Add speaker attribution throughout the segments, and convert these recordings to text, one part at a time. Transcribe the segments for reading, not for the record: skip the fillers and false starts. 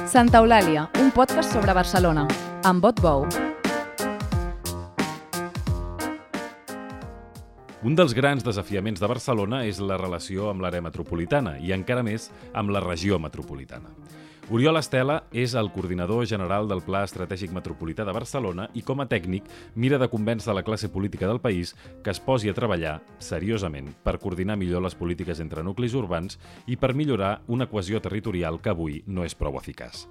Speaker 1: Santa Eulàlia, un podcast sobre Barcelona, amb Bot Bou.
Speaker 2: Un dels grans desafiaments de Barcelona és la relació amb l'àrea metropolitana i encara més amb la regió metropolitana. Oriol Estela és el coordinador general del Pla Estratègic Metropolità de Barcelona i com a tècnic mira de convèncer la classe política del país que es posi a treballar seriosament per coordinar millor les polítiques entre nuclis urbans i per millorar una cohesió territorial que avui no és prou eficaç.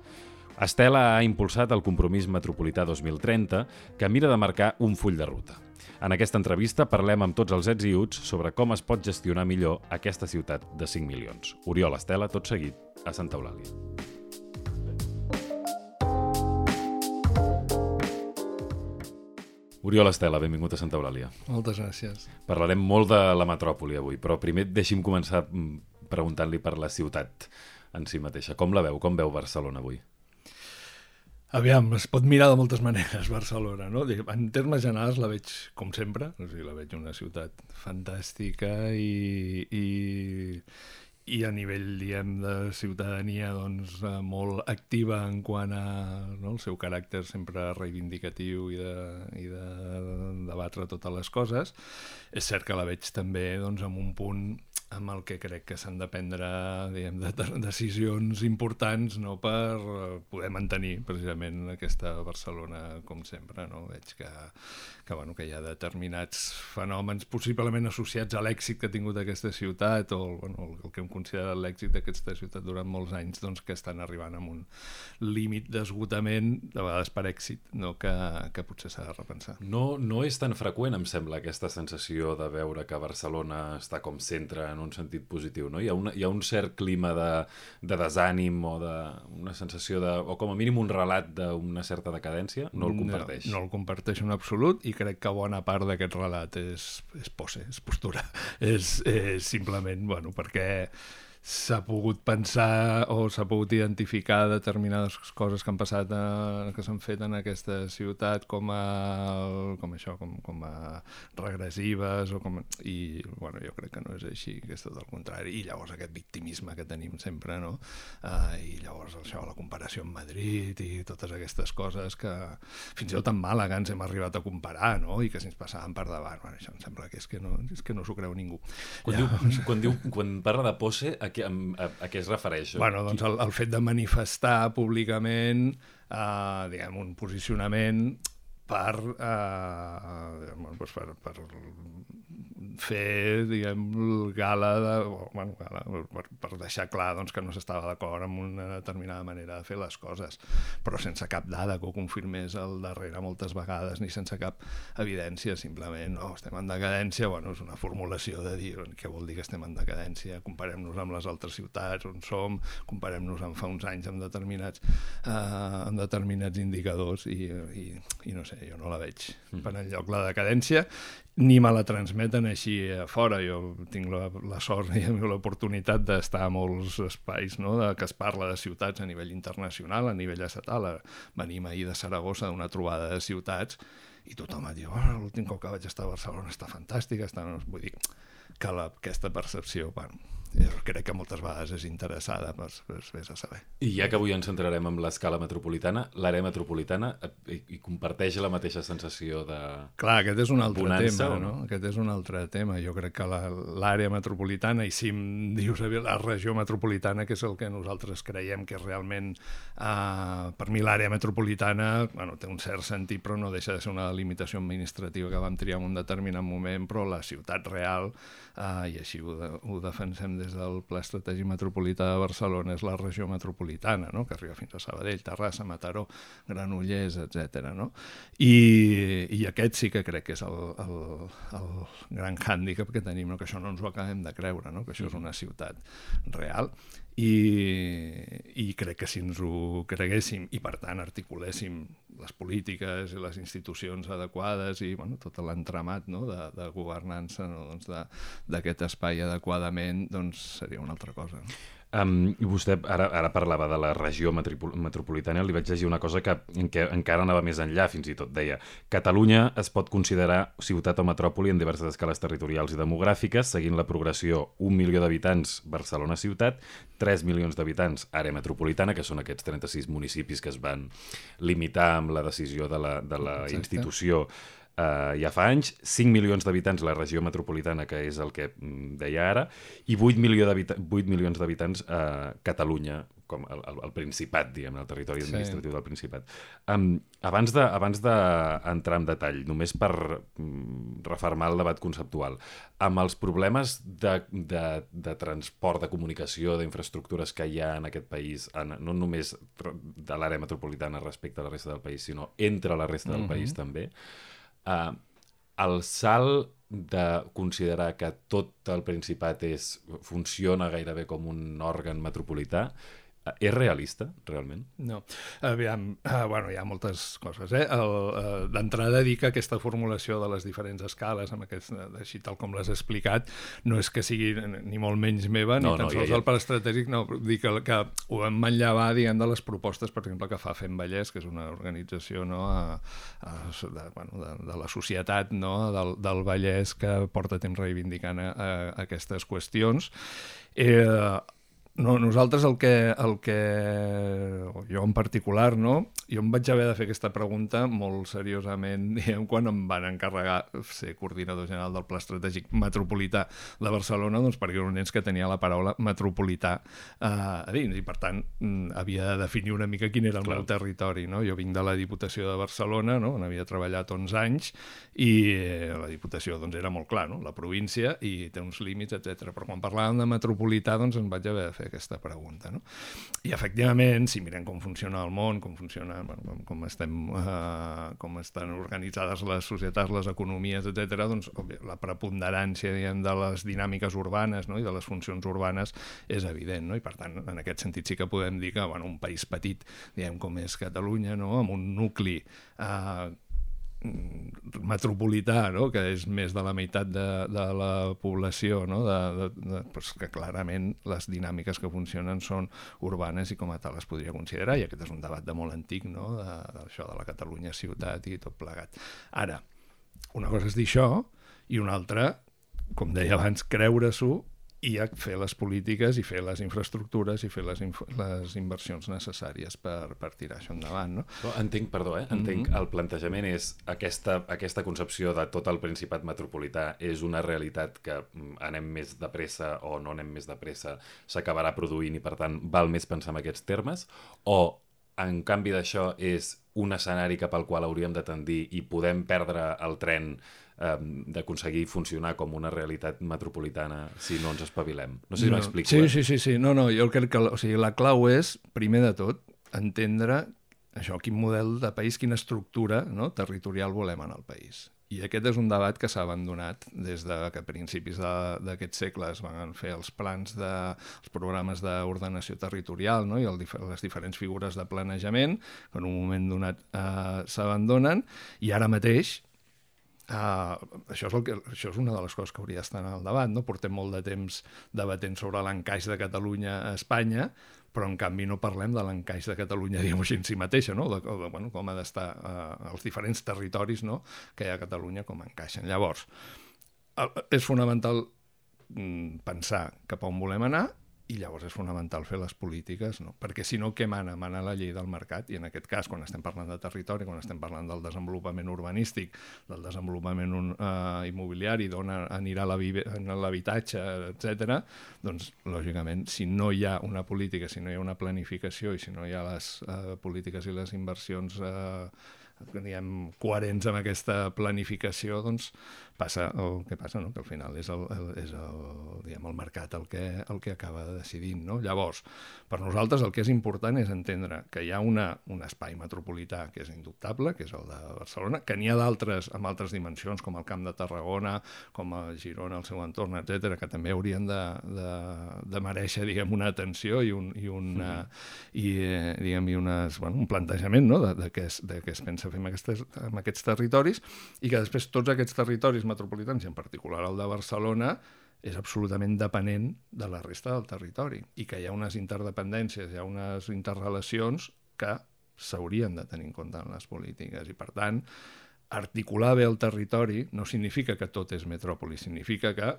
Speaker 2: Estela ha impulsat el Compromís Metropolità 2030, que mira de marcar un full de ruta. En aquesta entrevista parlem amb tots els ets i uts sobre com es pot gestionar millor aquesta ciutat de 5 milions. Oriol Estela, tot seguit, a Santa Eulàlia. Oriol Estela, benvingut a Santa Eulàlia.
Speaker 3: Moltes gràcies.
Speaker 2: Parlarem molt de la metròpoli avui, però primer deixi'm començar preguntant-li per la ciutat en si mateixa. Com la veu? Com veu Barcelona avui?
Speaker 3: Aviam, es pot mirar de moltes maneres Barcelona, no? En termes generals la veig com sempre, o sigui, la veig una ciutat fantàstica i a nivell, diguem, de ciutadania doncs, molt activa en quant a el seu caràcter sempre reivindicatiu i de debatre totes les coses. És cert que la veig també doncs, en un punt amb el que crec que s'han de prendre decisions importants, no, per poder mantenir precisament aquesta Barcelona com sempre. No? Veig que hi ha determinats fenòmens possiblement associats a l'èxit que ha tingut aquesta ciutat o el que hem considerat l'èxit d'aquesta ciutat durant molts anys, doncs, que estan arribant a un límit d'esgotament, de vegades per èxit, no? que potser s'ha de repensar.
Speaker 2: No és tan freqüent, em sembla, aquesta sensació de veure que Barcelona està com centre en un sentit positiu, no? Hi ha un cert clima de desànim o una sensació o com a mínim un relat d'una certa decadència. No el comparteix?
Speaker 3: No el comparteixo en absolut i crec que bona part d'aquest relat és pose, és postura. És simplement, perquè s'ha pogut pensar o s'ha pogut identificar determinades coses que han passat, que s'han fet en aquesta ciutat com a regressives i jo crec que no és així, que és tot el contrari, i llavors aquest victimisme que tenim sempre, no? I llavors això, la comparació amb Madrid i totes aquestes coses que fins i tot amb Màlaga ens hem arribat a comparar, no? I que si ens passaven per davant, això em sembla que és que no s'ho creu ningú.
Speaker 2: Quan parla de pose, a què es refereix?
Speaker 3: Doncs el fet de manifestar públicament un posicionament per fer, gala per deixar clar que no s'estava d'acord amb una determinada manera de fer les coses, però sense cap dada que ho confirmés al darrere moltes vegades, ni sense cap evidència, simplement, estem en decadència, és una formulació de dir què vol dir que estem en decadència, comparem-nos amb les altres ciutats on som, comparem-nos amb fa uns anys amb determinats indicadors i no sé, jo no la veig per enlloc la decadència, ni me la transmeten així a fora. Jo tinc la sort i l'oportunitat d'estar a molts espais, no? Que es parla de ciutats a nivell internacional, a nivell estatal. Venim ahir de Saragossa d'una trobada de ciutats i tothom et diu l'últim cop que vaig estar a Barcelona està fantàstica. Vull dir que aquesta percepció, jo crec que moltes vegades és interessada, vés a saber.
Speaker 2: I ja que avui ens centrarem en l'escala metropolitana, l'àrea metropolitana hi comparteix la mateixa sensació de
Speaker 3: Clar, aquest és un altre
Speaker 2: bonança,
Speaker 3: tema, no? Aquest és un altre tema. Jo crec que l'àrea metropolitana, i si em dius la regió metropolitana, que és el que nosaltres creiem que és realment, per mi l'àrea metropolitana, té un cert sentit, però no deixa de ser una limitació administrativa que vam triar en un determinat moment, però la ciutat real, i així ho defensem des del Pla Estratègic Metropolità de Barcelona, és la regió metropolitana, no? Que arriba fins a Sabadell, Terrassa, Mataró, Granollers, etc. No? I aquest sí que crec que és el gran hàndicap que tenim, no? Que això no ens ho acabem de creure, no? Que això és una ciutat real i crec que si ens ho creguéssim i per tant articuléssim les polítiques i les institucions adequades i tot l'entramat, no? de governança, no? D'aquest espai adequadament, doncs seria una altra cosa. No?
Speaker 2: I vostè ara parlava de la regió metropolitana, li vaig llegir una cosa que encara anava més enllà, fins i tot deia: Catalunya es pot considerar ciutat o metròpoli en diverses escales territorials i demogràfiques, seguint la progressió 1 milió d'habitants Barcelona ciutat, 3 milions d'habitants àrea metropolitana, que són aquests 36 municipis que es van limitar amb la decisió de la institució ja fa anys, 5 milions d'habitants la regió metropolitana, que és el que deia ara, i 8 milions d'habitants a Catalunya, com el Principat, diguem, el territori administratiu del Principat. Abans d'entrar en detall, només per refermar el debat conceptual, amb els problemes de transport, de comunicació, d'infraestructures que hi ha en aquest país, no només de l'àrea metropolitana respecte a la resta del país, sinó entre la resta del país també, el salt de considerar que tot el Principat funciona gairebé com un òrgan metropolità és realista, realment?
Speaker 3: No. Aviam, bueno, hi ha moltes coses. D'entrada dir que aquesta formulació de les diferents escales, així tal com l'has explicat, no és que sigui ni molt menys meva, ni tan sols el pla estratègic, no, dir que ho vam manllevar, diguem, de les propostes, per exemple, que fa Fem Vallès, que és una organització de la societat del Vallès que porta temps reivindicant aquestes qüestions. No, nosaltres jo en particular, jo em vaig haver de fer aquesta pregunta molt seriosament, diguem, quan em van encarregar ser coordinador general del Pla Estratègic Metropolità de Barcelona, doncs perquè era un ens que tenia la paraula metropolità a dins, i per tant havia de definir una mica quin era el meu territori. Jo vinc de la Diputació de Barcelona, on havia treballat 11 anys, i la Diputació era molt clar, la província, i té uns límits, etc. Però quan parlàvem de metropolità, doncs em vaig haver de fer aquesta pregunta. I efectivament, si mirem com funciona el món, com estan organitzades les societats, les economies, etc., doncs la preponderància, diguem, de les dinàmiques urbanes i de les funcions urbanes és evident, i per tant, en aquest sentit sí que podem dir que un país petit, diguem, com és Catalunya, amb un nucli metropolità, que és més de la meitat de la població, que clarament les dinàmiques que funcionen són urbanes i com a tal es podria considerar, i aquest és un debat de molt antic, d'això de la Catalunya ciutat i tot plegat. Ara, una cosa és dir això i una altra, com deia abans, creure-s'ho i fer les polítiques i fer les infraestructures i fer les inversions necessàries per tirar això endavant.
Speaker 2: Entenc el plantejament és aquesta concepció de tot el Principat metropolità és una realitat que anem més de pressa o no anem més de pressa s'acabarà produint i per tant val més pensar en aquests termes, o en canvi d'això és un escenari cap al qual hauríem de tendir i podem perdre el tren d'aconseguir funcionar com una realitat metropolitana si no ens espavilem. No sé si m'explico.
Speaker 3: Sí. No, jo crec que la clau és, primer de tot, entendre això, quin model de país, quina estructura territorial volem en el país. I aquest és un debat que s'ha abandonat des de que a principis d'aquest segle es van fer els programes d'ordenació territorial i les diferents figures de planejament, que en un moment donat s'abandonen, i ara mateix això és una de les coses que hauria d'estar en el debat. Portem molt de temps debatent sobre l'encaix de Catalunya a Espanya, però en canvi no parlem de l'encaix de Catalunya, diguem-ho així, en si mateixa, com ha d'estar els diferents territoris que hi ha a Catalunya, com encaixen. Llavors, és fonamental pensar cap a on volem anar, i llavors és fonamental fer les polítiques, perquè si no, què mana? Mana la llei del mercat, i en aquest cas, quan estem parlant de territori, quan estem parlant del desenvolupament urbanístic, del desenvolupament immobiliari, d'on anirà l'habitatge, etc., doncs, lògicament, si no hi ha una política, si no hi ha una planificació i si no hi ha les polítiques i les inversions coherents amb aquesta planificació, doncs passa el que passa, que al final és el mercat el que acaba decidint. Llavors, per nosaltres el que és important és entendre que hi ha un espai metropolità que és indubtable, que és el de Barcelona, que n'hi ha d'altres amb altres dimensions, com el Camp de Tarragona, com a Girona, el seu entorn, etc., que també haurien de merèixer, diguem, una atenció i un plantejament de què es pensa fer amb aquests territoris, i que després tots aquests territoris metropolitans, i en particular el de Barcelona, és absolutament dependent de la resta del territori i que hi ha unes interdependències, hi ha unes interrelacions que s'haurien de tenir en compte en les polítiques i, per tant, articular bé el territori no significa que tot és metròpoli, significa que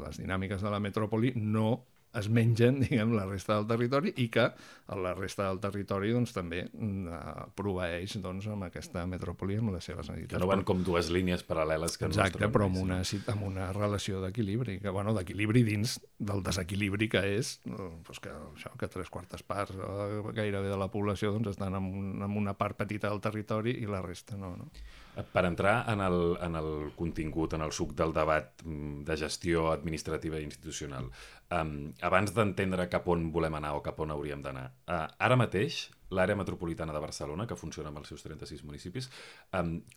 Speaker 3: les dinàmiques de la metròpoli no es mengen, diguem, la resta del territori i que la resta del territori doncs, també proveeix doncs, amb aquesta metròpoli amb les seves necessitats.
Speaker 2: Que no van com dues línies paral·leles que
Speaker 3: exacte, però amb una relació d'equilibri, d'equilibri dins del desequilibri que és doncs que 3/4 parts gairebé de la població doncs, estan en una part petita del territori i la resta no.
Speaker 2: Per entrar en el contingut, en el suc del debat de gestió administrativa i institucional, abans d'entendre cap on volem anar o cap on hauríem d'anar, ara mateix l'àrea metropolitana de Barcelona, que funciona amb els seus 36 municipis,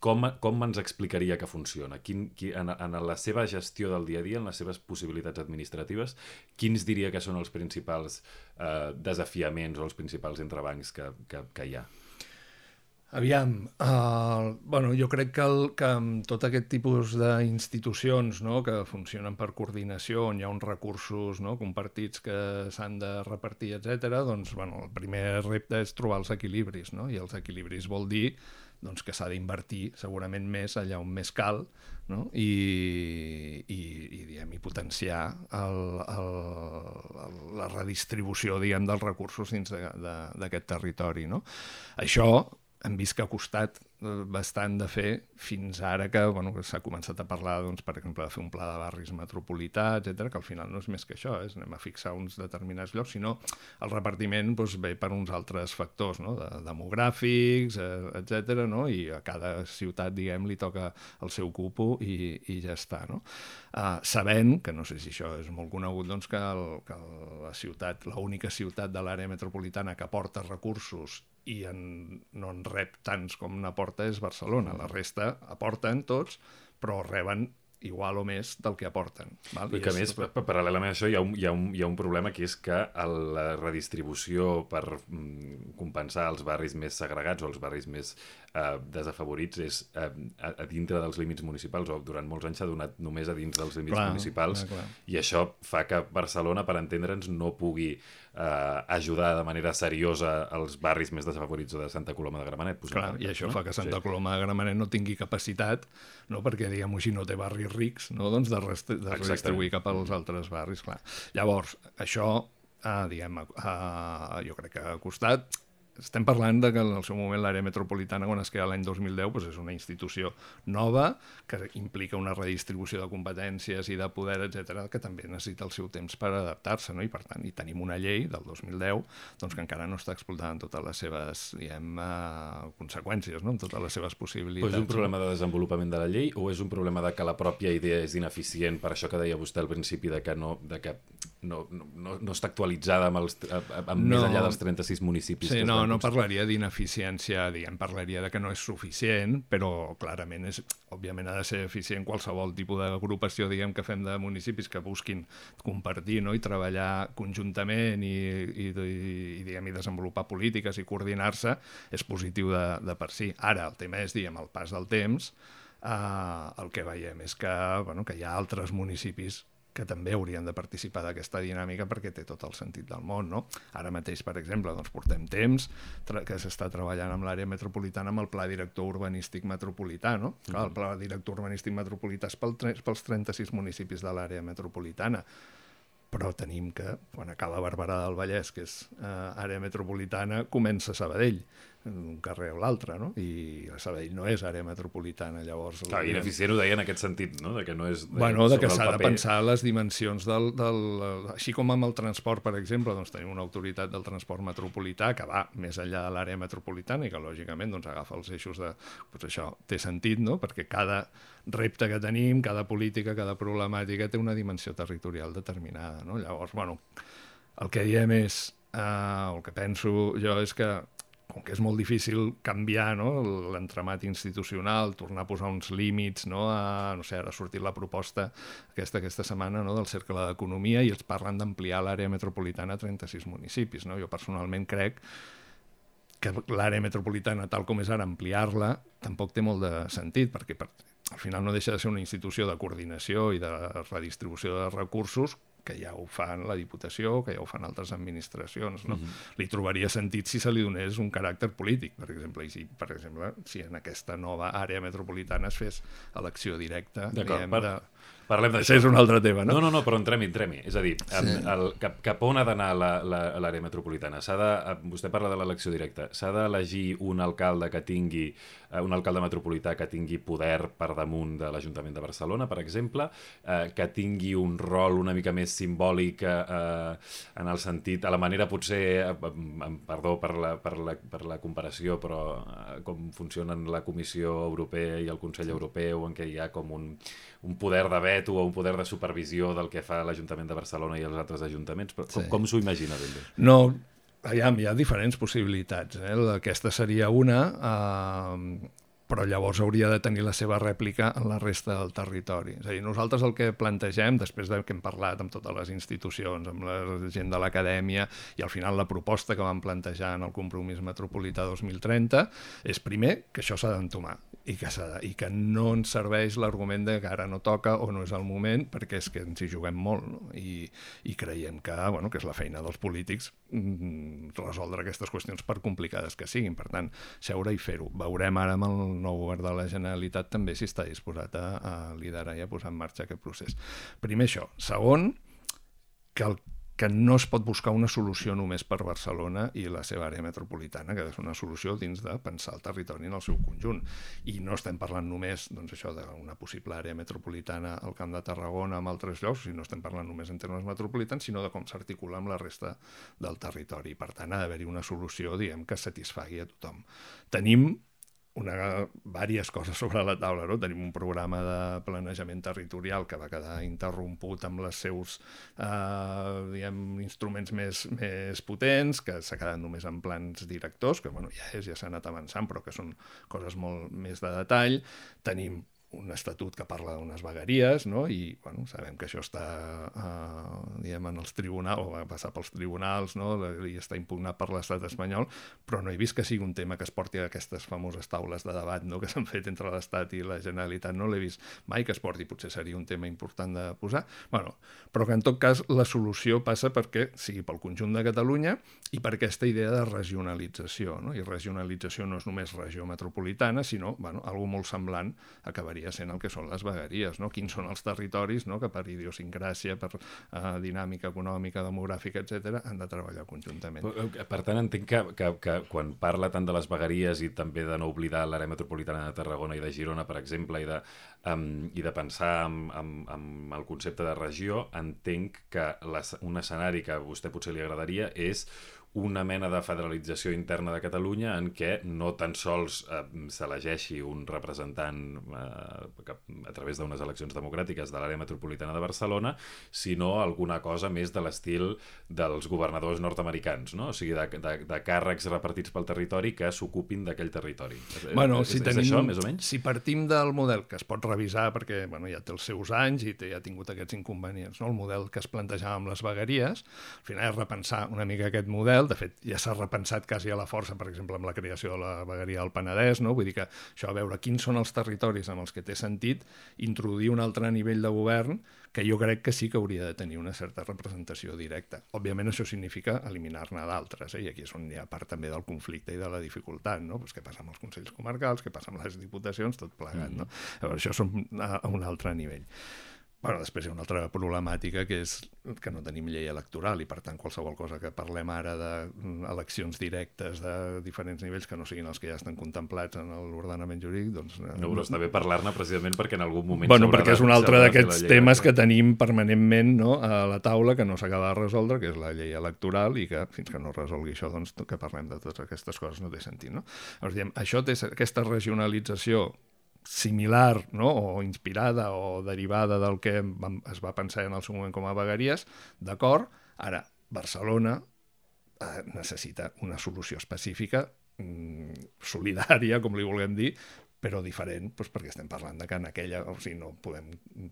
Speaker 2: com ens explicaria que funciona? En la seva gestió del dia a dia, en les seves possibilitats administratives, quins diria que són els principals desafiaments o els principals entrebancs que hi ha?
Speaker 3: Aviam, jo crec que amb tot aquest tipus d'institucions que funcionen per coordinació, on hi ha uns recursos compartits que s'han de repartir, etc., doncs, el primer repte és trobar els equilibris, i els equilibris vol dir que s'ha d'invertir segurament més allà on més cal, i potenciar la redistribució dels recursos dins d'aquest territori. Això hem vist que ha costat bastant de fer fins ara que s'ha començat a parlar, per exemple, de fer un pla de barris metropolità, etc., que al final no és més que això, anem a fixar uns determinats llocs, sinó el repartiment ve per uns altres factors, demogràfics, etc., i a cada ciutat, diguem, li toca el seu cupo i ja està. Sabent, que no sé si això és molt conegut, que la ciutat, l'única ciutat de l'àrea metropolitana que aporta recursos i no en rep tants com n'aporta és Barcelona. La resta aporten tots, però reben igual o més del que aporten.
Speaker 2: I que a més, paral·lelament a això, hi ha un problema, que és que la redistribució per compensar els barris més segregats o els barris més desafavorits és a dintre dels límits municipals, o durant molts anys s'ha donat només a dins dels límits municipals, i això fa que Barcelona, per entendre'ns, no pugui ajudar de manera seriosa als barris més desafavorits de Santa Coloma de Gramenet.
Speaker 3: I això fa que Santa Coloma de Gramenet no tingui capacitat, perquè, diguem-ho així, no té barris rics, de redistribuir cap als altres barris. Llavors, això, jo crec que ha costat. Estem parlant que en el seu moment l'àrea metropolitana, quan es crea l'any 2010, és una institució nova que implica una redistribució de competències i de poder, etc., que també necessita el seu temps per adaptar-se, i per tant tenim una llei del 2010 que encara no està explotant totes les seves conseqüències, amb totes les seves possibilitats.
Speaker 2: Però és un problema de desenvolupament de la llei o és un problema de que la pròpia idea és ineficient, per això que deia vostè al principi, de que no està actualitzada més enllà dels 36 municipis?
Speaker 3: Sí, no parlaria d'ineficiència, parlaria de que no és suficient, però clarament òbviament ha de ser eficient qualsevol tipus d'agrupació que fem de municipis que busquin compartir i treballar conjuntament i desenvolupar polítiques i coordinar-se és positiu de per si. Ara, el tema és, al pas del temps, el que veiem és que hi ha altres municipis que també haurien de participar d'aquesta dinàmica perquè té tot el sentit del món. Ara mateix, per exemple, portem temps que s'està treballant amb l'àrea metropolitana amb el Pla Director Urbanístic Metropolità. El Pla Director Urbanístic Metropolità és pels 36 municipis de l'àrea metropolitana, però tenim que, quan acaba Barberà del Vallès, que és àrea metropolitana, comença Sabadell, un carrer o l'altre, i Sabadell no és àrea metropolitana, llavors...
Speaker 2: Ineficient ho deia en aquest sentit, de que no és...
Speaker 3: de que s'ha de pensar les dimensions així com amb el transport, per exemple, tenim una autoritat del transport metropolità que va més enllà de l'àrea metropolitana i que, lògicament, agafa els eixos de... això té sentit, perquè cada repte que tenim, cada política, cada problemàtica té una dimensió territorial determinada, Llavors, el que diem és, el que penso jo és que com que és molt difícil canviar l'entramat institucional, tornar a posar uns límits, ara ha sortit la proposta aquesta setmana del Cercle d'Economia i ens parlen d'ampliar l'àrea metropolitana a 36 municipis. Jo personalment crec que l'àrea metropolitana, tal com és ara, ampliar-la, tampoc té molt de sentit, perquè al final no deixa de ser una institució de coordinació i de redistribució de recursos que ja ho fan la Diputació, que ja ho fan altres administracions. No? Li trobaria sentit si se li donés un caràcter polític, per exemple, i si en aquesta nova àrea metropolitana es fes elecció directa.
Speaker 2: Parlem d'això.
Speaker 3: És un altre tema, no?
Speaker 2: No, però entrem-hi. És a dir, cap on ha d'anar l'àrea metropolitana? Vostè parla de l'elecció directa. S'ha d'elegir un alcalde metropolità que tingui poder per damunt de l'Ajuntament de Barcelona, per exemple, que tingui un rol una mica més simbòlic en el sentit, a la manera potser, perdó per la comparació, però com funcionen la Comissió Europea i el Consell Europeu, en què hi ha com un poder de veto o un poder de supervisió del que fa l'Ajuntament de Barcelona i els altres ajuntaments, però com s'ho imagina ben bé?
Speaker 3: No, hi ha diferents possibilitats. Aquesta seria una, però llavors hauria de tenir la seva rèplica en la resta del territori. És a dir, nosaltres el que plantegem, després que hem parlat amb totes les institucions, amb la gent de l'acadèmia, i al final la proposta que vam plantejar en el Compromís Metropolità 2030, és primer que això s'ha d'entomar i que no ens serveix l'argument de que ara no toca o no és el moment, perquè és que ens hi juguem molt, no? I creiem que és la feina dels polítics resoldre aquestes qüestions per complicades que siguin. Per tant, seure i fer-ho. Veurem ara amb el nou govern de la Generalitat també si està disposat a liderar i a posar en marxa aquest procés. Primer això. Segon, que no es pot buscar una solució només per Barcelona i la seva àrea metropolitana, que és una solució dins de pensar el territori en el seu conjunt. I no estem parlant només d'una possible àrea metropolitana al Camp de Tarragona, amb altres llocs, i no estem parlant només en termes metropolitans, sinó de com s'articula amb la resta del territori. Per tant, ha d'haver-hi una solució, que satisfagui a tothom. Tenim diverses coses sobre la taula, no? Tenim un programa de planejament territorial que va quedar interromput amb els seus instruments més potents, que s'ha quedat només en plans directors, que ja s'ha anat avançant, però que són coses molt més de detall. Tenim un estatut que parla d'unes vegueries, no? I sabem que això està en els tribunals, o va passar pels tribunals, no? I està impugnat per l'estat espanyol, però no he vist que sigui un tema que es porti a aquestes famoses taules de debat, no? Que s'han fet entre l'Estat i la Generalitat. No l'he vist mai que es porti, potser seria un tema important de posar. Però que en tot cas la solució passa perquè sigui pel conjunt de Catalunya i per aquesta idea de regionalització, no? I regionalització no és només regió metropolitana, sinó algo molt semblant acabaria sent el que són les vegueries, no? Quins són els territoris, no? Que per idiosincràsia, per dinàmica econòmica, demogràfica, etc., han de treballar conjuntament.
Speaker 2: Per tant, entenc que quan parla tant de les vegueries i també de no oblidar l'àrea metropolitana de Tarragona i de Girona, per exemple, i de pensar en el concepte de regió, entenc que un escenari que a vostè potser li agradaria és una mena de federalització interna de Catalunya en què no tan sols s'elegeixi un representant a través d'unes eleccions democràtiques de l'àrea metropolitana de Barcelona, sinó alguna cosa més de l'estil dels governadors nord-americans, no? O sigui, de càrrecs repartits pel territori que s'ocupin d'aquell territori. És això, més o menys?
Speaker 3: Si partim del model que es pot revisar, perquè ja té els seus anys i ja ha tingut aquests inconvenients, no? El model que es plantejava amb les vegueries, al final és repensar una mica aquest model. De fet, ja s'ha repensat quasi a la força, per exemple, amb la creació de la vegueria del Penedès, no? Vull dir que això, a veure quins són els territoris amb els que té sentit introduir un altre nivell de govern que jo crec que sí que hauria de tenir una certa representació directa. Òbviament això significa eliminar-ne d'altres, i aquí és on hi ha part també del conflicte i de la dificultat, no? Pues què passa amb els consells comarcals, què passa amb les diputacions, tot plegat, no? Llavors, això són a un altre nivell. Després hi ha una altra problemàtica, que és que no tenim llei electoral i, per tant, qualsevol cosa que parlem ara d'eleccions directes de diferents nivells que no siguin els que ja estan contemplats en l'ordenament jurídic, doncs...
Speaker 2: No, però està bé parlar-ne precisament perquè en algun moment...
Speaker 3: Perquè és un altre d'aquests temes que tenim permanentment, no, a la taula, que no s'acaba de resoldre, que és la llei electoral, i que fins que no resolgui això, doncs, que parlem de totes aquestes coses no té sentit, no? Llavors, diem, això té aquesta regionalització similar, no? O inspirada o derivada del que es va pensar en el seu moment com a vegueries, d'acord. Ara, Barcelona necessita una solució específica, solidària, com li vulguem dir, però diferent, doncs perquè estem parlant de que en aquella, o sigui, no podem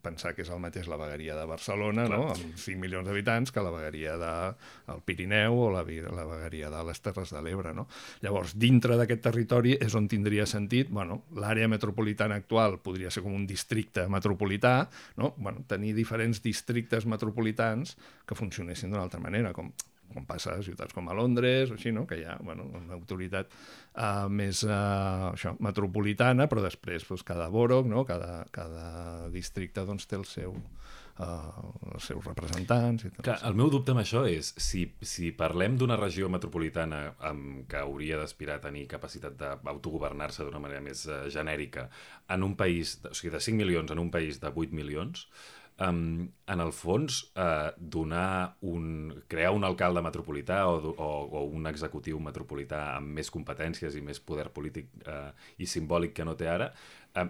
Speaker 3: pensar que és el mateix la vegueria de Barcelona, no? Amb 5 milions d'habitants, que la vegueria del Pirineu o la vegueria de les Terres de l'Ebre, no? Llavors, dintre d'aquest territori és on tindria sentit, bueno, l'àrea metropolitana actual podria ser com un districte metropolità, no? Bueno, tenir diferents districtes metropolitans que funcionessin d'una altra manera, com passa a ciutats com a Londres o així, no? Que hi ha una autoritat més metropolitana, però després cada borough, no? Cada districte doncs, té els seus representants.
Speaker 2: Clar, el meu dubte amb això és, si parlem d'una regió metropolitana que hauria d'aspirar a tenir capacitat d'autogovernar-se d'una manera més genèrica en un país, o sigui, de 5 milions en un país de 8 milions, en el fons, crear un alcalde metropolità o un executiu metropolità amb més competències i més poder polític i simbòlic que no té ara,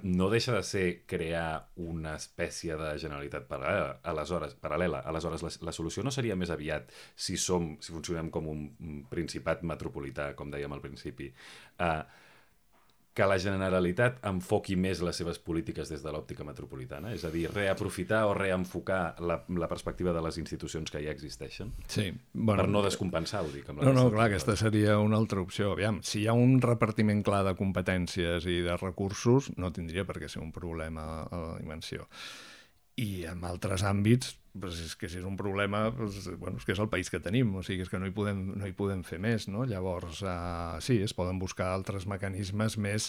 Speaker 2: no deixa de ser crear una espècie de generalitat paral·lela. Aleshores, la solució no seria més aviat, si funcionem com un principat metropolità, com dèiem al principi, que la Generalitat enfoqui més les seves polítiques des de l'òptica metropolitana? És a dir, reaprofitar o reenfocar la perspectiva de les institucions que ja existeixen?
Speaker 3: Sí.
Speaker 2: Per no descompensar, ho dic.
Speaker 3: No, clar, aquesta seria una altra opció. Aviam, si hi ha un repartiment clar de competències i de recursos, no tindria per què ser un problema a la dimensió. I en altres àmbits, doncs és que si és un problema, doncs, bueno, és que és el país que tenim, o sigui, és que no hi podem fer més, no? Llavors, sí, es poden buscar altres mecanismes més,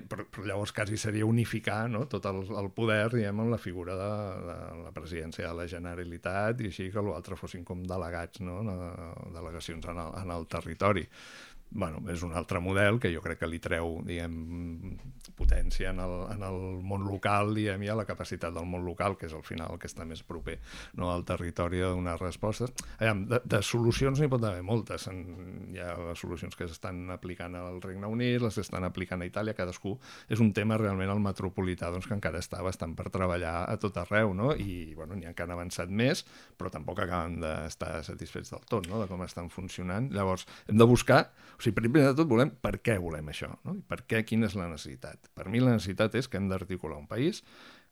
Speaker 3: però llavors quasi seria unificar, no? Tot el poder, diguem, en la figura de la presidència de la Generalitat i així que l'altre fossin com delegats, no? Delegacions en el territori. Bueno, és un altre model que jo crec que li treu, diguem, potència en el món local, diguem, i a la capacitat del món local, que és al final el que està més proper, no, al territori a donar respostes. De solucions n'hi pot haver moltes. Hi ha les solucions que s'estan aplicant al Regne Unit, les que estan aplicant a Itàlia, cadascú. És un tema realment el metropolità, doncs, que encara està bastant per treballar a tot arreu, no? I bueno, n'hi ha que han avançat més, però tampoc acaben d'estar satisfets del tot, no? De com estan funcionant. Llavors, hem de buscar, o sigui, primer de tot volem per què volem això, no? I per què, quina és la necessitat. Per mi la necessitat és que hem d'articular un país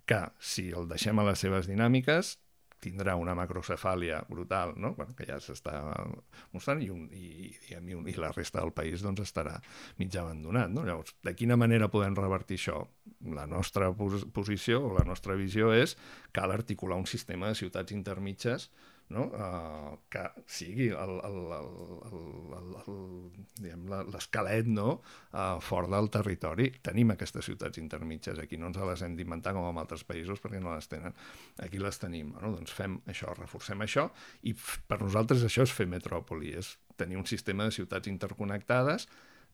Speaker 3: que, si el deixem a les seves dinàmiques, tindrà una macrocefàlia brutal, no? Bueno, que ja s'està mostrant, i la resta del país doncs, estarà mig abandonat, no? Llavors, de quina manera podem revertir això? La nostra posició o la nostra visió és que cal articular un sistema de ciutats intermitges, no? Que sigui l'esquelet, no? Fort del territori. Tenim aquestes ciutats intermitges aquí, no ens les hem d'inventar com en altres països perquè no les tenen. Aquí les tenim, no? Doncs fem això, reforcem això, i per nosaltres això és fer metròpoli, és tenir un sistema de ciutats interconnectades,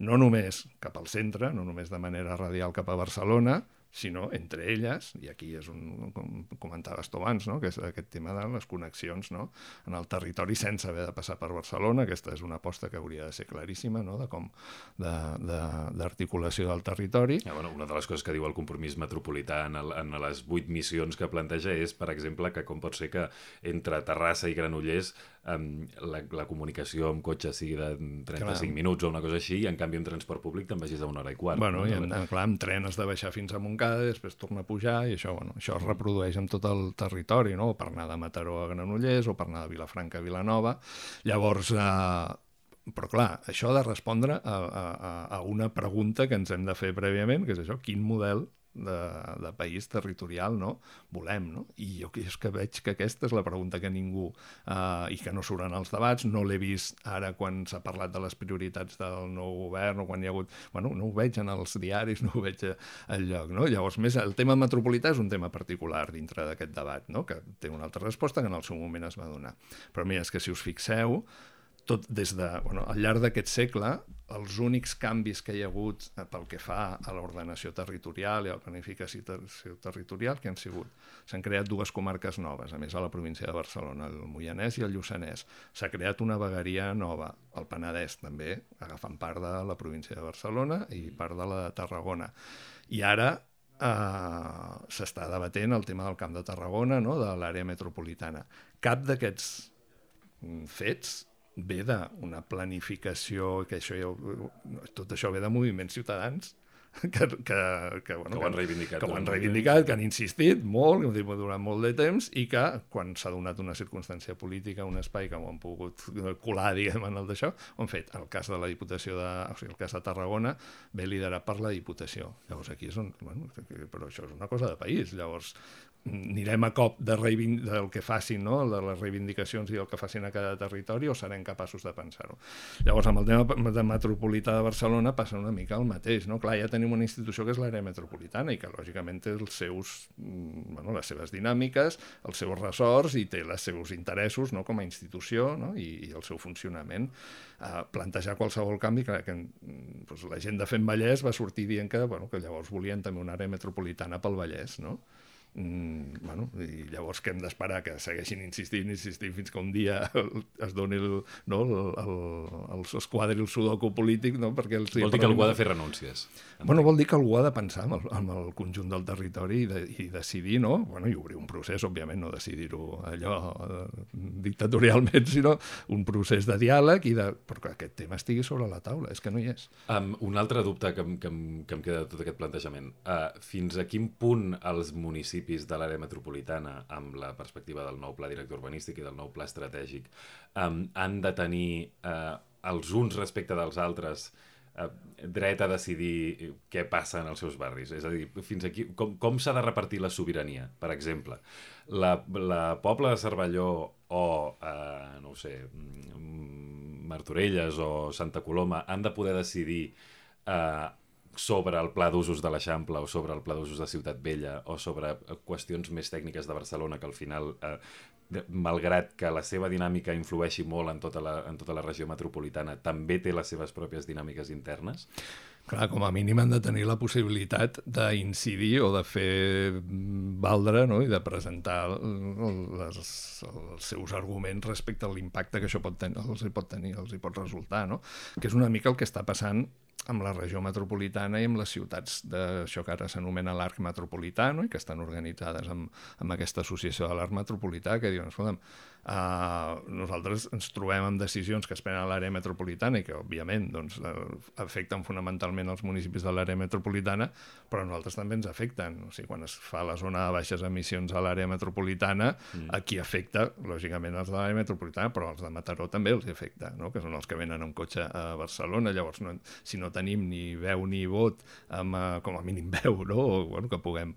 Speaker 3: no només cap al centre, no només de manera radial cap a Barcelona, sinó entre elles, i aquí és com comentaves tu abans, no? Que és aquest tema de les connexions, no? En el territori sense haver de passar per Barcelona. Aquesta és una aposta que hauria de ser claríssima, no? D'articulació del territori.
Speaker 2: Ja, bueno, una de les coses que diu el compromís metropolità en les 8 missions que planteja és, per exemple, que com pot ser que entre Terrassa i Granollers la comunicació amb cotxe sigui de 35 minuts o una cosa així, i en canvi en transport públic te'n vagis a 1 hora i quart.
Speaker 3: Bueno, i clar, amb tren has de baixar fins a Montcada, després torna a pujar, i això, bueno, això es reprodueix en tot el territori, no? Per anar de Mataró a Granollers o per anar de Vilafranca a Vilanova. Llavors, però clar, això ha de respondre a una pregunta que ens hem de fer prèviament, que és això, quin model de país territorial, no? Volem, no? I jo és que veig que aquesta és la pregunta que ningú, i que no surt en els debats, no l'he vist ara quan s'ha parlat de les prioritats del nou govern o quan hi ha hagut... Bueno, no ho veig en els diaris, no ho veig enlloc, no? Llavors, més el tema metropolità és un tema particular dintre d'aquest debat, no? Que té una altra resposta que en el seu moment es va donar. Però mira, és que si us fixeu, tot des de, bueno, al llarg d'aquest segle, els únics canvis que hi ha hagut pel que fa a l'ordenació territorial i a la planificació territorial que han sigut. S'han creat 2 comarques noves, a més a la província de Barcelona, el Moianès i el Lluçanès. S'ha creat una vegueria nova, el Penedès també, agafant part de la província de Barcelona i part de la de Tarragona. I ara s'està debatent el tema del Camp de Tarragona, no? De l'àrea metropolitana. Cap d'aquests fets ve d'una planificació, que tot això ve de moviments ciutadans
Speaker 2: que ho han reivindicat.
Speaker 3: Que ho han reivindicat, que han insistit molt, durant molt de temps, i que quan s'ha donat una circumstància política, un espai que ho han pogut colar, diguem, en el d'això, ho han fet. El cas de la Diputació el cas de Tarragona ve liderat per la Diputació. Llavors aquí és on... però això és una cosa de país. Llavors anirem a cop del que facin, no? De les reivindicacions i del que facin a cada territori, o serem capaços de pensar-ho. Llavors, amb el tema de metropolità de Barcelona passa una mica el mateix, no? Clar, ja tenim una institució que és l'àrea metropolitana i que, lògicament, té les seves dinàmiques, els seus ressorts i té els seus interessos, no? Com a institució, no? I el seu funcionament. Plantejar qualsevol canvi, que la gent de Fem Vallès va sortir dient que llavors volien també una àrea metropolitana pel Vallès, no? I llavors que hem d'esperar que segueixin insistint fins que un dia es doni es quadri el sudoku polític, no? Perquè
Speaker 2: vol dir que algú ha de fer renúncies.
Speaker 3: Vol dir que algú ha de pensar amb el conjunt del territori i decidir, no? I obrir un procés, òbviament, no decidir-ho allò dictatorialment, sinó un procés de diàleg perquè aquest tema estigui sobre la taula, és que no hi és.
Speaker 2: Un altre dubte que em queda de tot aquest plantejament. Fins a quin punt els municipis de l'àrea metropolitana, amb la perspectiva del nou pla director urbanístic i del nou pla estratègic, han de tenir els uns respecte dels altres dret a decidir què passa en els seus barris? És a dir, fins aquí, com s'ha de repartir la sobirania? Per exemple, la Pobla de Cervelló o, no ho sé, Martorelles o Santa Coloma han de poder decidir sobre el pla d'usos de l'Eixample o sobre el pla d'usos de Ciutat Vella o sobre qüestions més tècniques de Barcelona que al final, malgrat que la seva dinàmica influeixi molt en tota la regió metropolitana, també té les seves pròpies dinàmiques internes?
Speaker 3: Clar, com a mínim han de tenir la possibilitat d'incidir o de fer valdre, no? I de presentar els seus arguments respecte a l'impacte que això els hi pot resultar, no? Que és una mica el que està passant amb la regió metropolitana i amb les ciutats d'això que ara s'anomena l'arc metropolità, no? I que estan organitzades amb aquesta associació de l'arc metropolità, que diuen, escolta'm, nosaltres ens trobem amb decisions que es prenen a l'àrea metropolitana i que, òbviament, afecten fonamentalment els municipis de l'àrea metropolitana, però a nosaltres també ens afecten. O sigui, quan es fa la zona de baixes emissions a l'àrea metropolitana, aquí afecta, lògicament, els de l'àrea metropolitana, però els de Mataró també els afecta, no? Que són els que venen amb cotxe a Barcelona. Llavors, si no tenim ni veu ni vot, com a mínim veu, no? O que puguem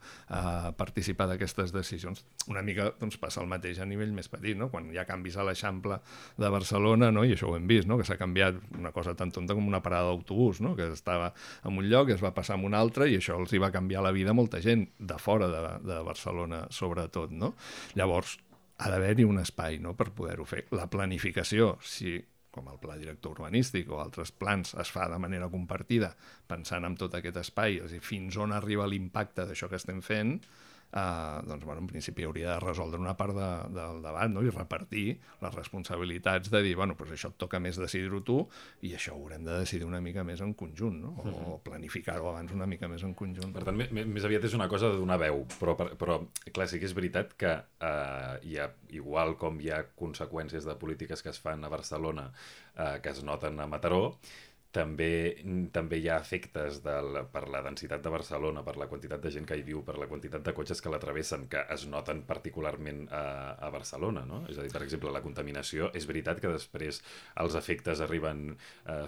Speaker 3: participar d'aquestes decisions, una mica passa el mateix a nivell més petit, no? Quan hi ha canvis a l'Eixample de Barcelona, no? I això ho hem vist, no? Que s'ha canviat una cosa tan tonta com una parada d'autobús, no? Que estava en un lloc i es va passar en un altre i això els hi va canviar la vida a molta gent de fora de Barcelona, sobretot, no? Llavors, ha d'haver-hi un espai, no? Per poder-ho fer. La planificació, si com el pla director urbanístic o altres plans es fa de manera compartida, pensant en tot aquest espai, és a dir, fins on arriba l'impacte d'això que estem fent, en principi hauria de resoldre una part del debat, no? I repartir les responsabilitats de dir, això et toca més decidir-ho tu i això ho haurem de decidir una mica més en conjunt, no? O planificar-ho abans una mica més en conjunt.
Speaker 2: Per tant, més aviat és una cosa de donar veu, però clar, sí que és veritat que igual com hi ha conseqüències de polítiques que es fan a Barcelona que es noten a Mataró, també hi ha efectes per la densitat de Barcelona, per la quantitat de gent que hi viu, per la quantitat de cotxes que la travessen, que es noten particularment a Barcelona, no? És a dir, per exemple, la contaminació, és veritat que després els efectes arriben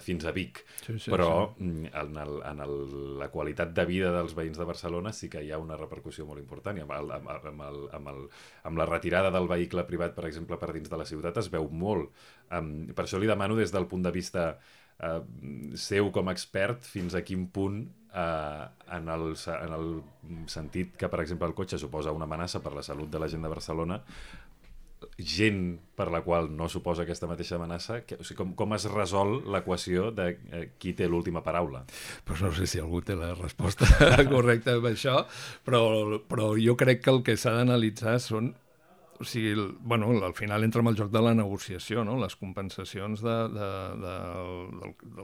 Speaker 2: fins a Vic, però en la qualitat de vida dels veïns de Barcelona sí que hi ha una repercussió molt important. I amb la retirada del vehicle privat, per exemple, per dins de la ciutat es veu molt. Per això li demano des del punt de vista seu com a expert fins a quin punt en el sentit que, per exemple, el cotxe suposa una amenaça per la salut de la gent de Barcelona, gent per la qual no suposa aquesta mateixa amenaça, com es resol l'equació de qui té l'última paraula?
Speaker 3: Pues no sé si algú té la resposta correcta amb això, però jo crec que el que s'ha d'analitzar són al final entra en el joc de la negociació, no? Les compensacions del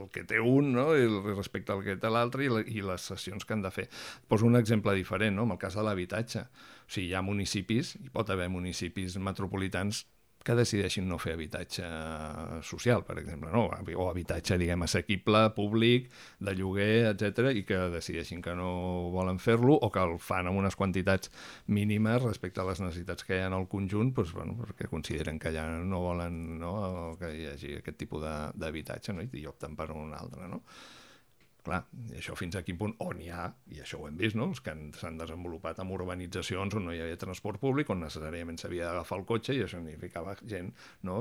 Speaker 3: que té un, no? I respecte al que té l'altre i les cessions que han de fer. Poso un exemple diferent, no? En el cas de l'habitatge. O sigui, hi ha municipis, hi pot haver municipis metropolitans que decideixin no fer habitatge social, per exemple, no? O habitatge, diguem, assequible, públic, de lloguer, etc, i que decideixin que no volen fer-lo o que el fan amb unes quantitats mínimes respecte a les necessitats que hi ha en el conjunt, doncs, bueno, perquè consideren que ja no volen, no, que hi hagi aquest tipus d'habitatge, no? I opten per un altre, no? Clar, i això fins a quin punt, on hi ha, i això ho hem vist, no? Els que s'han desenvolupat en urbanitzacions on no hi havia transport públic, on necessàriament s'havia d'agafar el cotxe, i això significava gent, no?,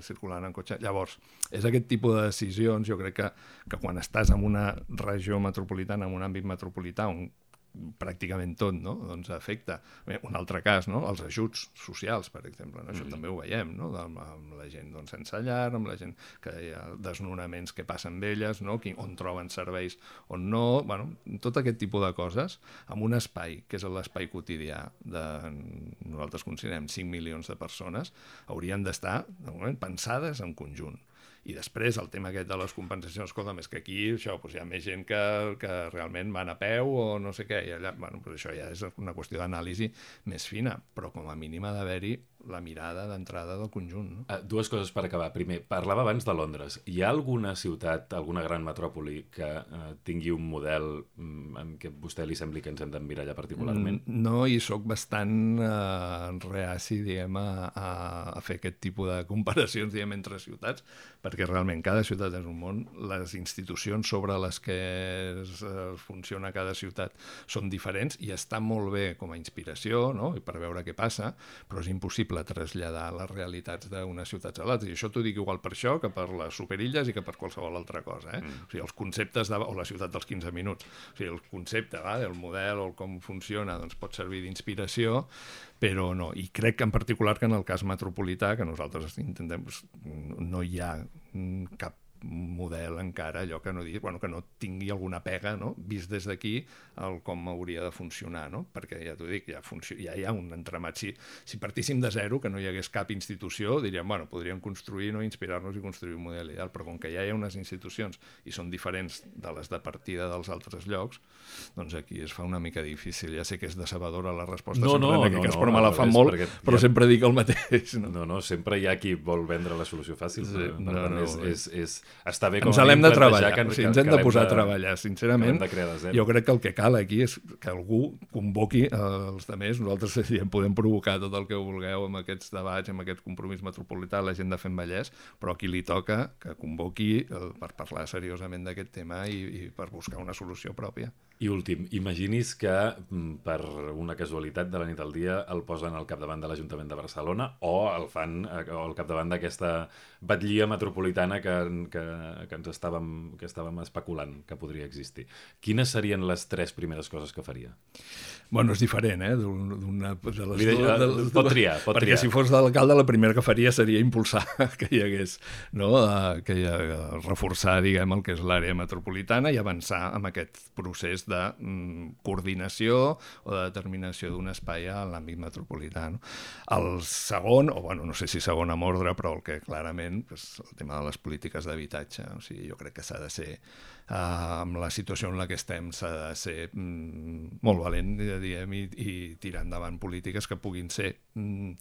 Speaker 3: circulant en cotxe. Llavors, és aquest tipus de decisions, jo crec que quan estàs en una regió metropolitana, en un àmbit metropolità, on pràcticament tot, no?, doncs afecta. Bé, un altre cas, no?, els ajuts socials, per exemple, no? Això també ho veiem, no?, amb la gent, doncs, sense llar, amb la gent que hi ha desnonaments que passen d'elles, no?, on troben serveis, on no, bueno, tot aquest tipus de coses, amb un espai, que és l'espai quotidià de, nosaltres considerem 5 milions de persones, haurien d'estar, de moment, pensades en conjunt. I després el tema aquest de les compensacions, escolta, és que aquí això, doncs hi ha més gent que realment van a peu o no sé què, i allà, bueno, doncs això ja és una qüestió d'anàlisi més fina, però com a mínim ha d'haver-hi la mirada d'entrada del conjunt. No?
Speaker 2: Dues coses per acabar. Primer, parlava abans de Londres. Hi ha alguna ciutat, alguna gran metròpoli que tingui un model en què a vostè li sembli que ens hem d'emmirallar particularment?
Speaker 3: No, i sóc bastant reaci, diguem, a fer aquest tipus de comparacions, diguem, entre ciutats, perquè realment cada ciutat és un món, les institucions sobre les que funciona cada ciutat són diferents i està molt bé com a inspiració, no?, i per veure què passa, però és impossible traslladar les realitats d'unes ciutats a l'altra. I això t'ho dic igual per això que per les superilles i que per qualsevol altra cosa. O sigui, els conceptes o la ciutat dels 15 minuts. O sigui, el concepte, el model o com funciona, doncs pot servir d'inspiració, però no. I crec que en particular que en el cas metropolità, que nosaltres intentem, no hi ha cap model encara, allò que no que no tingui alguna pega, no?, vist des d'aquí com hauria de funcionar, no? Perquè ja t'ho dic, ja hi ha un entramat. Si partíssim de zero, que no hi hagués cap institució, diríem, bueno, podríem construir, no, inspirar-nos i construir un model ideal, però com que ja hi ha unes institucions i són diferents de les de partida dels altres llocs, doncs aquí es fa una mica difícil. Ja sé que és decebedora la resposta en aquest cas, però me la fan molt, però sempre dic el mateix.
Speaker 2: No, sempre hi ha qui vol vendre la solució fàcil. Està bé com
Speaker 3: ens l'hem de treballar, ens hem de posar a treballar, sincerament. Jo crec que el que cal aquí és que algú convoqui els altres. Nosaltres podem provocar tot el que vulgueu amb aquests debats, amb aquest compromís metropolità, la gent de Fem Vallès, però a qui li toca que convoqui per parlar seriosament d'aquest tema i per buscar una solució pròpia.
Speaker 2: I últim, imagini's que per una casualitat de la nit al dia el posen al capdavant de l'Ajuntament de Barcelona o el fan al capdavant d'aquesta batllia metropolitana que estàvem especulant que podria existir. Quines serien les 3 primeres coses que faria?
Speaker 3: Bueno, és diferent,
Speaker 2: Pot triar.
Speaker 3: Perquè si fos d'alcalde, la primera que faria seria impulsar que hi hagués, no?, reforçar, diguem, el que és l'àrea metropolitana i avançar en aquest procés de coordinació o de determinació d'un espai a l'àmbit metropolità. No? El segon, o bueno, no sé si segon amb ordre, però el que clarament és el tema de les polítiques d'habitatge. O sigui, jo crec que s'ha de ser, amb la situació en la que estem, s'ha de ser molt valent, diguem, i tirar endavant polítiques que puguin ser, no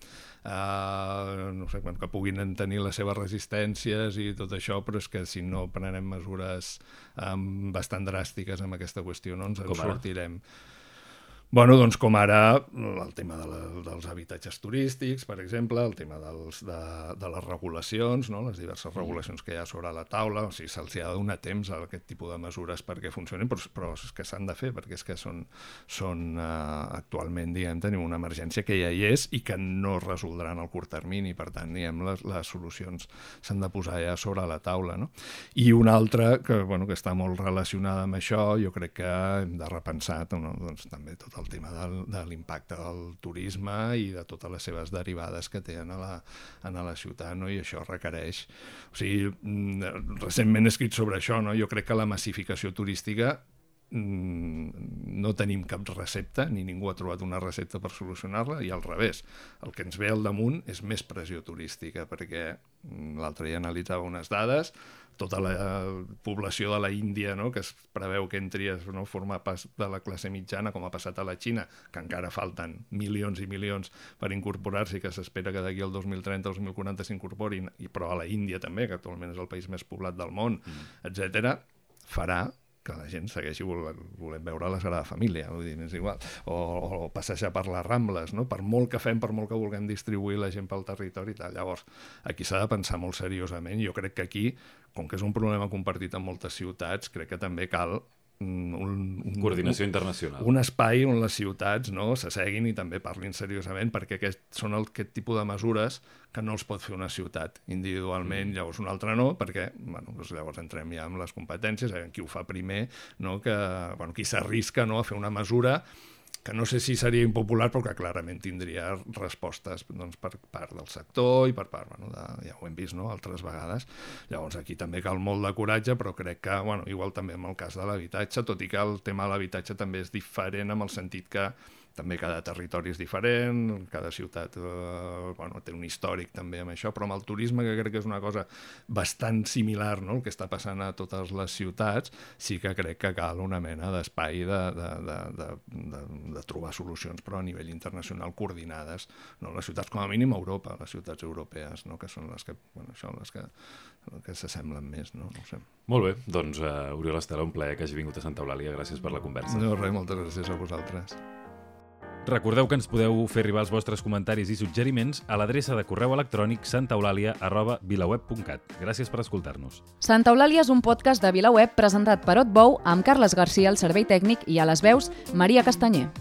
Speaker 3: sé, que puguin tenir les seves resistències i tot això, però és que si no prenem mesures bastant dràstiques amb aquesta qüestió no ens en sortirem. Bueno, doncs com ara el tema dels habitatges turístics, per exemple, el tema de les regulacions, no? Les diverses regulacions que hi ha sobre la taula, o sigui, se'ls ha de donar temps a aquest tipus de mesures perquè funcionin, però és que s'han de fer, perquè és que són actualment, diguem, tenim una emergència que ja hi és i que no es resoldrà en el curt termini, per tant, diguem, les solucions s'han de posar ja sobre la taula, no? I una altra que està molt relacionada amb això, jo crec que hem de repensar doncs, també tot el tema de l'impacte del turisme i de totes les seves derivades que tenen a la ciutat, no? I això requereix... O sigui, recentment he escrit sobre això, no? Jo crec que la massificació turística no tenim cap recepta, ni ningú ha trobat una recepta per solucionar-la, i al revés, el que ens ve al damunt és més pressió turística, perquè l'altre dia analitzava unes dades, tota la població de la Índia, no?, que es preveu que entri a formar part de la classe mitjana, com ha passat a la Xina, que encara falten milions i milions per incorporar-s'hi, que s'espera que d'aquí al 2030-2040 s'incorporin, però a la Índia també, que actualment és el país més poblat del món, etc., farà que la gent segueixi volent veure la Sagrada Família, vull dir, és igual, o passejar per les Rambles, no? Per molt que fem, per molt que vulguem distribuir la gent pel territori i tal. Llavors, aquí s'ha de pensar molt seriosament. Jo crec que aquí, com que és un problema compartit en moltes ciutats, crec que també cal
Speaker 2: coordinació internacional.
Speaker 3: Un espai on les ciutats, no, s'asseguin i també parlin seriosament, perquè són aquest tipus de mesures que no els pot fer una ciutat individualment, llavors un altre no, perquè doncs llavors entrem ja amb les competències, qui ho fa primer, no, qui s'arrisca, no, a fer una mesura que no sé si seria impopular, però que clarament tindria respostes, doncs, per part del sector i per part, ja ho hem vist, no?, altres vegades. Llavors aquí també cal molt de coratge, però crec que, igual també en el cas de l'habitatge, tot i que el tema de l'habitatge també és diferent en el sentit que també cada territori és diferent, cada ciutat té un històric també amb això, però amb el turisme, que crec que és una cosa bastant similar, no?, el que està passant a totes les ciutats, sí que crec que cal una mena d'espai de trobar solucions, però a nivell internacional coordinades, no? Les ciutats, com a mínim a Europa, les ciutats europees, no?, que són les que, les que s'assemblen més, no? No ho sé.
Speaker 2: Molt bé, doncs Oriol Estela, un plaer que hagi vingut a Santa Eulàlia, gràcies per la conversa.
Speaker 3: No, res, moltes gràcies a vosaltres.
Speaker 2: Recordeu que ens podeu fer arribar els vostres comentaris i suggeriments a l'adreça de correu electrònic santaeulàlia@vilaweb.cat. Gràcies per escoltar-nos.
Speaker 1: Santa Eulàlia és un podcast de VilaWeb presentat per Otbou amb Carles Garcia al servei tècnic i a les veus Maria Castanyer.